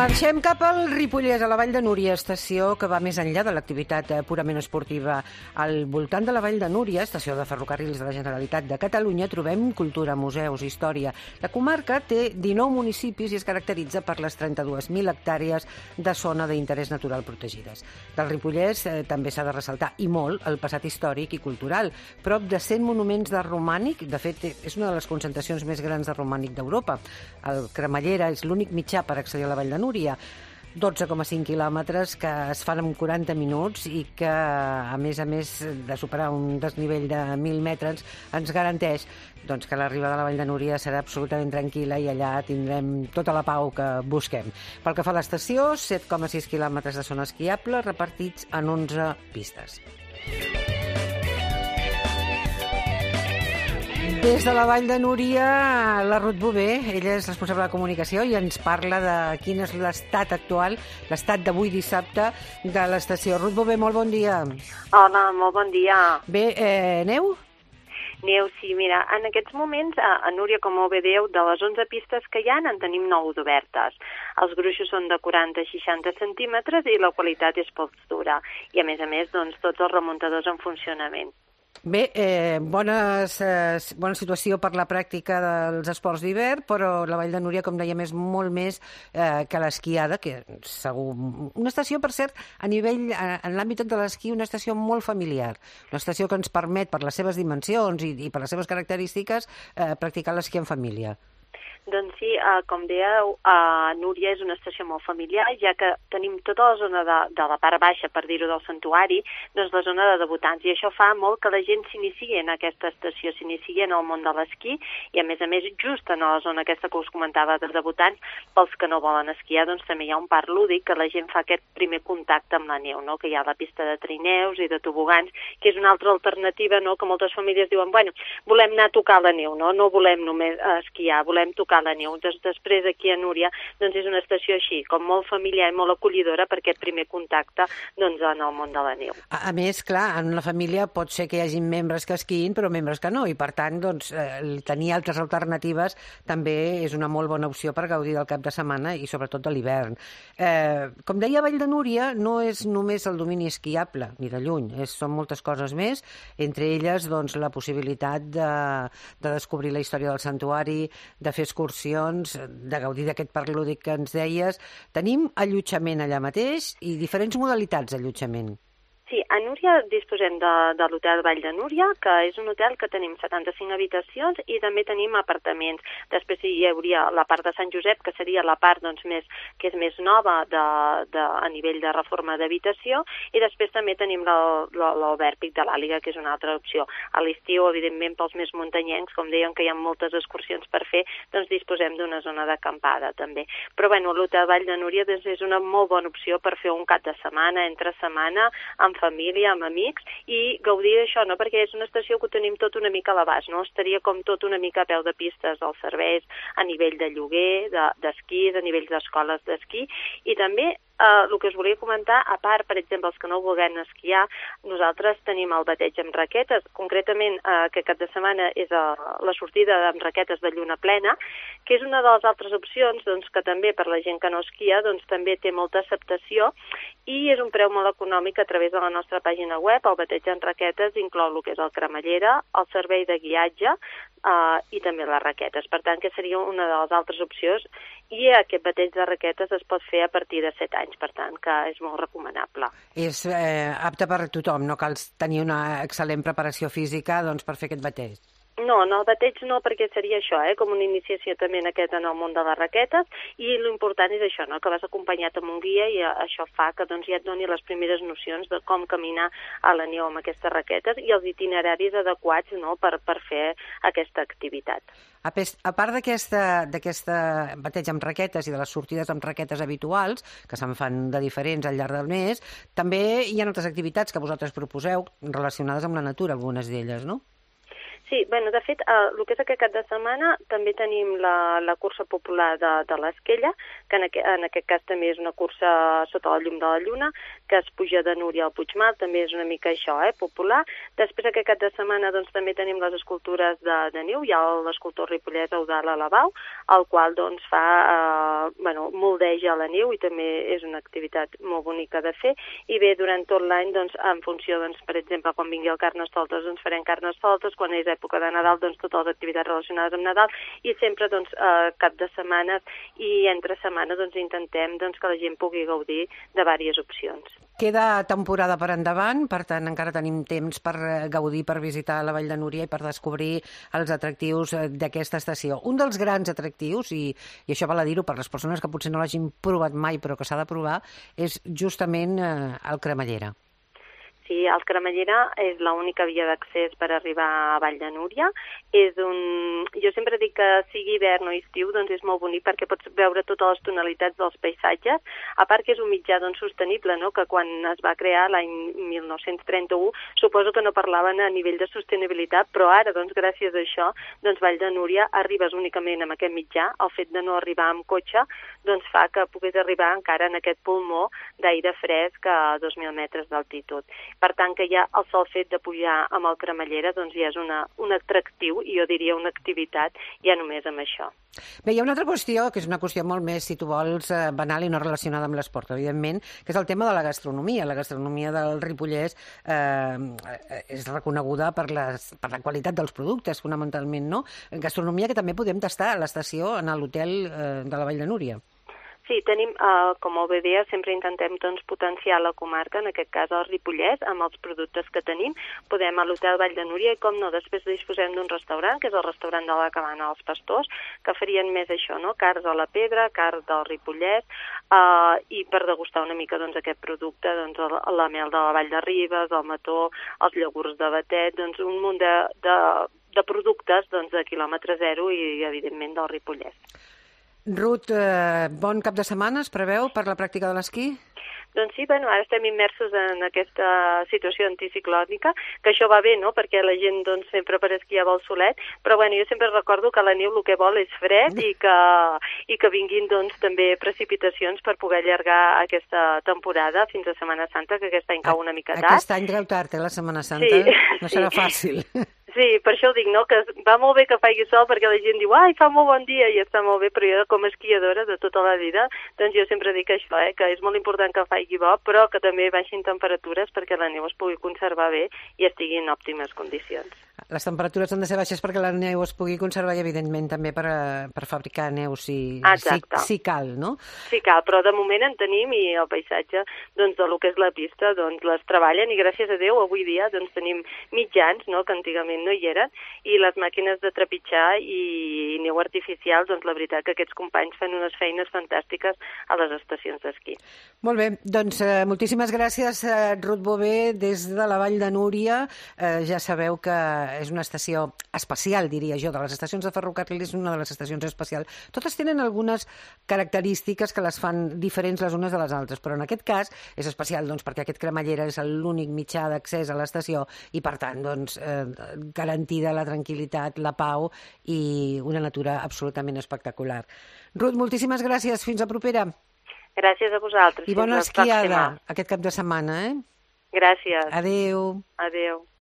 Marxem cap al Ripollès, a la Vall de Núria, estació que va més enllà de l'activitat purament esportiva. Al voltant de la Vall de Núria, estació de ferrocarrils de la Generalitat de Catalunya, trobem cultura, museus, història. La comarca té 19 municipis i es caracteritza per les 32.000 hectàrees de zona d'interès natural protegides. Del Ripollès també s'ha de ressaltar, i molt, el passat històric i cultural. Prop de 100 monuments de romànic, de fet, és una de les concentracions més grans de romànic d'Europa. El Cremallera és l'únic mitjà per accedir a la Vall de Núria. 12,5 quilòmetres que es fan en 40 minuts i que, a més de superar un desnivell de 1.000 metres, ens garanteix que l'arribada a la Vall de Núria serà absolutament tranquil·la i allà tindrem tota la pau que busquem. Pel que fa a l'estació, 7,6 quilòmetres de zona esquiable repartits en 11 pistes. Des de la Vall de Núria, la Ruth Bové, ella és responsable de comunicació i ens parla de quin és l'estat actual, l'estat d'avui dissabte de l'estació. Ruth Bové, molt bon dia. Hola, molt bon dia. Bé, neu? Neu, sí, mira, en aquests moments a Núria, com molt bé dieu, de les 11 pistes que hi ha, en tenim 9 d'obertes. Els gruixos són de 40-60 centímetres i la qualitat és poc dura. I a més, tots els remuntadors en funcionament. Bé, bona situació per la pràctica dels esports d'hivern, però la Vall de Núria, com dèiem, és molt més que l'esquiada, que segur... Una estació, per cert, a nivell, en l'àmbit de l'esquí, una estació molt familiar. Una estació que ens permet, per les seves dimensions i per les seves característiques, practicar l'esquí en família. Doncs sí, com dèieu, Núria és una estació molt familiar, ja que tenim tota la zona de la part baixa, per dir-ho, del santuari, doncs la zona de debutants, i això fa molt que la gent s'iniciï en aquesta estació, s'iniciï en el món de l'esquí, i a més, just en la zona aquesta que us comentava de debutants, pels que no volen esquiar, doncs també hi ha un parc lúdic que la gent fa aquest primer contacte amb la neu, no? Que hi ha la pista de trineus i de tobogans, que és una altra alternativa, no? Que moltes famílies diuen, bueno, volem anar a tocar la neu, no volem només esquiar, volem tocar la neu. Després aquí a Núria doncs és una estació així, com molt familiar i molt acollidora per aquest primer contacte en el món de la neu. A més, clar, en una família pot ser que hi hagi membres que esquiïn però membres que no, i per tant tenir altres alternatives també és una molt bona opció per gaudir del cap de setmana i sobretot de l'hivern. Com deia, Vall de Núria no és només el domini esquiable, ni de lluny, són moltes coses més, entre elles la possibilitat de descobrir la història del santuari, de fer excursions, de gaudir d'aquest parc lúdic que ens deies. Tenim allotjament allà mateix i diferents modalitats d'allotjament. Sí, a Núria disposem de l'hotel Vall de Núria, que és un hotel que tenim 75 habitacions i també tenim apartaments. Després hi hauria la part de Sant Josep, que seria la part que és més nova a nivell de reforma d'habitació, i després també tenim l'Albert Pic de l'Àliga, que és una altra opció. A l'estiu, evidentment, pels més muntanyencs, com deien que hi ha moltes excursions per fer, doncs disposem d'una zona d'acampada també. Però bueno, l'hotel Vall de Núria és una molt bona opció per fer un cap de setmana, entre setmana, amb família, amb amics, i gaudir d'això, no? Perquè és una estació que ho tenim tot una mica a l'abast, no? Estaria com tot una mica a peu de pistes, els serveis a nivell de lloguer, d'esquís, a nivell d'escoles d'esquí, i també el que us volia comentar, a part, per exemple, els que no vulguem esquiar, nosaltres tenim el bateig amb raquetes, concretament aquest cap de setmana és la sortida amb raquetes de lluna plena, que és una de les altres opcions que també per la gent que no esquia també té molta acceptació i és un preu molt econòmic a través de la nostra pàgina web. El bateig amb raquetes inclou el que és el cremallera, el servei de guiatge i també les raquetes. Per tant, que seria una de les altres opcions, i aquest bateig de raquetes es pot fer a partir de 7 anys, per tant, que és molt recomanable. És apte per a tothom, no cal tenir una excel·lent preparació física per fer aquest bateig. No, el bateig no, perquè seria això, com una iniciació també en el món de les raquetes, i l'important és això, que vas acompanyat amb un guia, i això fa que ja et doni les primeres nocions de com caminar a la neu amb aquestes raquetes i els itineraris adequats per fer aquesta activitat. A part d'aquesta bateig amb raquetes i de les sortides amb raquetes habituals, que se'n fan de diferents al llarg del mes, també hi ha altres activitats que vosaltres proposeu relacionades amb la natura, algunes d'elles, no? Sí, de fet, el que és aquest cap de setmana també tenim la cursa popular de l'Esquella, que en aquest cas també és una cursa sota la llum de la lluna, que es puja de Núria al Puigmal, també és una mica això, popular. Després aquest cap de setmana doncs, també tenim les escultures de neu, hi ha l'escultor ripollès Eudald Alabau, el qual doncs, moldeja la neu i també és una activitat molt bonica de fer. I bé, durant tot l'any, doncs, en funció, doncs, per exemple, quan vingui el Carnestoltes, doncs farem Carnestoltes, quan és època de Nadal, doncs totes les activitats relacionades amb Nadal, i sempre doncs, cap de setmanes i entre setmana doncs, intentem doncs, que la gent pugui gaudir de diverses opcions. Queda temporada per endavant, per tant encara tenim temps per gaudir, per visitar la Vall de Núria i per descobrir els atractius d'aquesta estació. Un dels grans atractius, i això val a dir-ho per les persones que potser no l'hagin provat mai però que s'ha de provar, és justament el Cremallera. Sí, el Cremallera és l'única via d'accés per arribar a Vall de Núria. Jo sempre dic que sigui hivern o estiu, doncs és molt bonic perquè pots veure totes les tonalitats dels paisatges, a part que és un mitjà doncs, sostenible, no? Que quan es va crear l'any 1931 suposo que no parlaven a nivell de sostenibilitat, però ara, doncs, gràcies a això, doncs, Vall de Núria arribes únicament amb aquest mitjà. El fet de no arribar amb cotxe doncs, fa que puguis arribar encara en aquest pulmó d'aire fresc a 2.000 metres d'altitud. Per tant, que ja el sol fet de pujar amb el Cremallera doncs ja és un atractiu, i jo diria una activitat, ja només amb això. Bé, hi ha una altra qüestió, que és una qüestió molt més, si tu vols, banal i no relacionada amb l'esport, evidentment, que és el tema de la gastronomia. La gastronomia del Ripollès és reconeguda per la qualitat dels productes, fonamentalment, no? Gastronomia que també podem tastar a l'estació, en l'hotel de la Vall de Núria. Sí, tenim, com molt bé deia, sempre intentem doncs, potenciar la comarca, en aquest cas el Ripollès, amb els productes que tenim. Podem a l'Hotel Vall de Núria i, com no, després disposem d'un restaurant, que és el restaurant de la Cabana dels Pastors, que farien més això, no? Carns a la pedra, carn del Ripollès, i per degustar una mica doncs, aquest producte, doncs, la mel de la Vall de Ribes, el mató, els iogurts de Batet, doncs, un munt de productes doncs, de quilòmetre zero i, evidentment, del Ripollès. Ruth, bon cap de setmana es preveu per la pràctica de l'esquí? Doncs sí, ara estem immersos en aquesta situació anticiclònica, que això va bé, no?, perquè la gent doncs, sempre per esquiar vol solet, però jo sempre recordo que la neu el que vol és fred i que vinguin doncs, també precipitacions per poder allargar aquesta temporada fins a Setmana Santa, que aquest any cau una mica tard. Aquest any treu tard, la Setmana Santa? Sí, no serà fàcil. Sí, per això ho dic, no?, que va molt bé que faci sol perquè la gent diu ai, fa molt bon dia i està molt bé, però jo com a esquiadora de tota la vida, doncs jo sempre dic això, que és molt important que faci bo, però que també baixin temperatures perquè la neu es pugui conservar bé i estigui en òptimes condicions. Les temperatures han de ser baixes perquè la neu es pugui conservar i, evidentment, també per fabricar neu si cal, no? Sí cal, però de moment en tenim i el paisatge doncs, del que és la pista doncs, les treballen i gràcies a Déu avui dia doncs, tenim mitjans, no?, que antigament no hi eren, i les màquines de trepitjar i neu artificial, doncs la veritat que aquests companys fan unes feines fantàstiques a les estacions d'esquí. Molt bé, doncs moltíssimes gràcies, Ruth Bové, des de la Vall de Núria. Ja sabeu que és una estació especial, diria jo, de les estacions de ferrocarril és una de les estacions especials. Totes tenen algunes característiques que les fan diferents les unes de les altres, però en aquest cas és especial doncs, perquè aquest Cremallera és l'únic mitjà d'accés a l'estació i, per tant, doncs, garantida la tranquil·litat, la pau i una natura absolutament espectacular. Ruth, moltíssimes gràcies. Fins a propera. Gràcies a vosaltres. I bona esquiada aquest cap de setmana, eh? Gràcies. Adéu. Adéu.